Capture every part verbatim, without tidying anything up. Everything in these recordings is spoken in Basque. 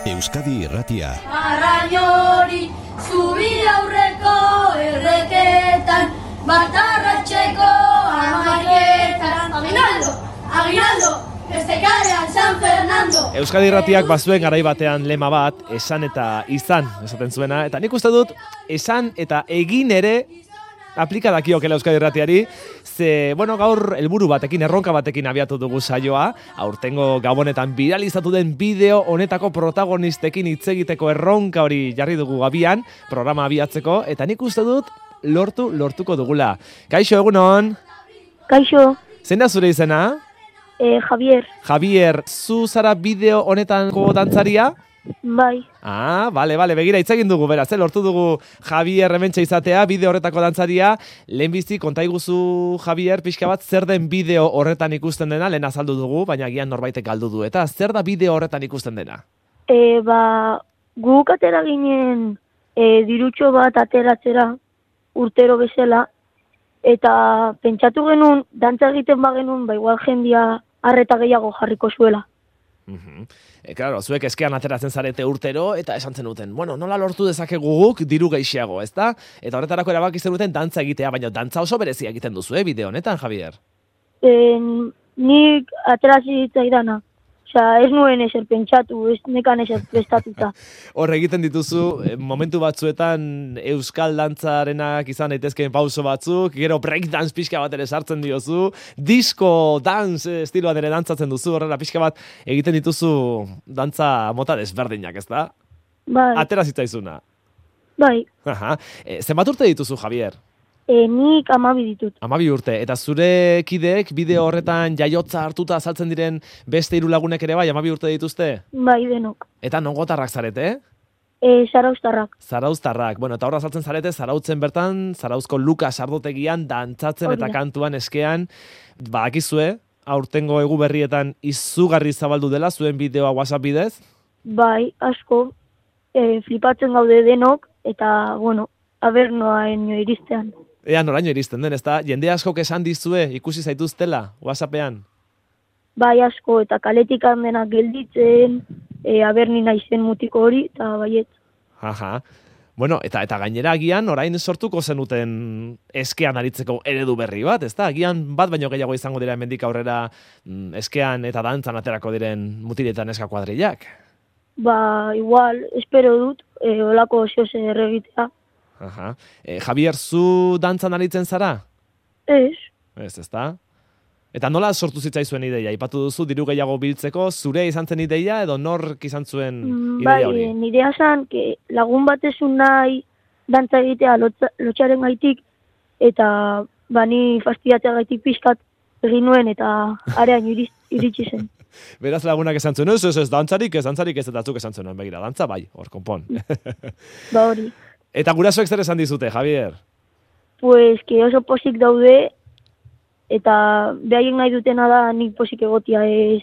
Euskadi Irratia. Arrainori, zubide aurreko erreketan, batarratxeko amaiketan. Aguinaldo, aguinaldo, beste kalean San Fernando. Euskadi Irratiak bazuen garai batean lema bat, esan eta izan, esaten zuena. Eta nik uste dut, esan eta egin ere aplika dakiokela Euskadi Irratiari, ze, bueno, gaur helburu batekin, erronka batekin abiatu dugu saioa, aurtengo gabonetan viralizatu den bideo honetako protagonistekin hitz egiteko erronka hori jarri dugu gabian, programa abiatzeko, eta nik uste dut lortu, lortuko dugula. Kaixo, egunon? Kaixo. Zein da zure izena? Eh, Javier. Javier, zu zara bideo honetanko dantzaria? Bai. Ah, bale, bale, begira, hitz egin dugu, beraz, eh? Lortu dugu Javier hementxe izatea, bideo horretako dantzaria. Lehenbizi, konta iguzu, Javier, pixka bat, zer den bideo horretan ikusten dena, lehen azaldu dugu, baina gian norbaitek galdu du, eta zer da bideo horretan ikusten dena? E, ba, guk atera ginen e, dirutxo bat ateratzera urtero bezala, eta pentsatu genuen, dantza egiten bagenuen, ba, igual jendia arreta gehiago jarriko zuela. Uh-huh. E, claro, zuek eskean ateratzen zarete urtero eta esan zenuten, bueno, nola lortu dezakegu guk diru gehiago, ezta? Eta horretarako erabaki zenuten dantza egitea, baina dantza oso berezia egiten duzu, eh, bideo honetan, Javier? E, nik aterazi zitzaidana. Osea, ez nuen ezer pentsatu, ez nekan ezer prestatuta. Hor egiten dituzu, momentu batzuetan euskal dantzarenak izan daitezkeen pauso batzuk, gero breakdance pixka bat ere sartzen diozu, disco dance estiloan ere dantzatzen duzu, horrela pixka bat egiten dituzu dantza mota desberdinak, ez da? Bai. Atera zitzaizuna. Bai. Aha. E, zenbat urte dituzu, Javier? E, nik amabi ditut. Amabi urte, eta zure kideek bideo horretan jaiotza hartuta azaltzen diren beste hiru lagunek ere bai, amabi urte dituzte? Bai, denok. Eta nongotarrak zarete, eh? E, Zarauztarrak. Zarauztarrak, bueno, eta horra azaltzen zarete, Zarautzen bertan, Zarauzko Lukas ardotegian, dantzatzen eta kantuan eskean, badakizue, aurtengo egu berrietan izugarri zabaldu dela, zuen bideoa WhatsApp bidez? Bai, asko, e, flipatzen gaude denok, eta, bueno, aber noaen iristean. Ea noraino iristen den, ezta? Jende askok esan dizue, ikusi zaituztela, WhatsAppean? Bai asko, eta kaletik handenak gelditzen, e, aberni naizen mutiko hori, eta baiet. Aha. Bueno, eta eta gainera agian orain sortuko zenuten eskean aritzeko eredu berri bat, ezta? Agian bat baino gehiago izango dira hemendik aurrera mm, eskean eta dantzan aterako diren mutiletan eska kuadrillak. Ba, igual, espero dut, e, olako oso zer egitea. Aha. E, Javier, zu dantzan aritzen zara? Ez. Ez, ezta? Eta nola sortu zitzaizuen ideia? Aipatu duzu diru gehiago biltzeko, zure izan zen ideia edo nork izan zuen ideia hori? Bai, nidea zan, que lagun batezun nahi dantza egitea lotza, lotxaren gaitik, eta bani fastidiatzea gaitik pixkat egin nuen, eta arean iritsi zen. Beraz lagunak esan zuen, ez, ez, ez, dantzarik, ez, dantzarik ez, eta zuk esan zuen, begira, dantza bai, hor, konpon. Ba hori. Eta gurasoek zer esan dizute, Javier? Pues, que oso posik daude, eta behaien nahi dutena da nik posik egotia ez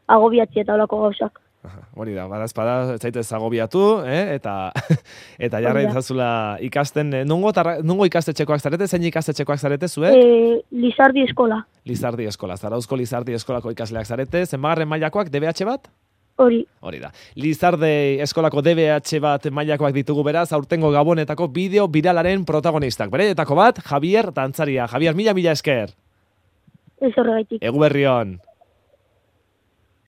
agobiatzea eta olako gauzak. Aha, hori da, bada espada, ez zaitez agobiatu, eh? eta eta jarra izazula ikasten, nungo, tarra, nungo ikastetxekoak zarete, zein ikastetxekoak zarete zuek? E, Lizardi eskola. Lizardi eskola, Zarauzko Lizardi eskolako ikasleak zarete, zenbagarren mailakoak, D B H bat? Hori. Hori da. Lizarde eskolako D B H bat mailakoak ditugu beraz, aurtengo gabonetako bideo viralaren protagonistak. Bereetako bat, Javier dantzaria. Javier, mila mila esker. Ez horregaitik. Egu berri on.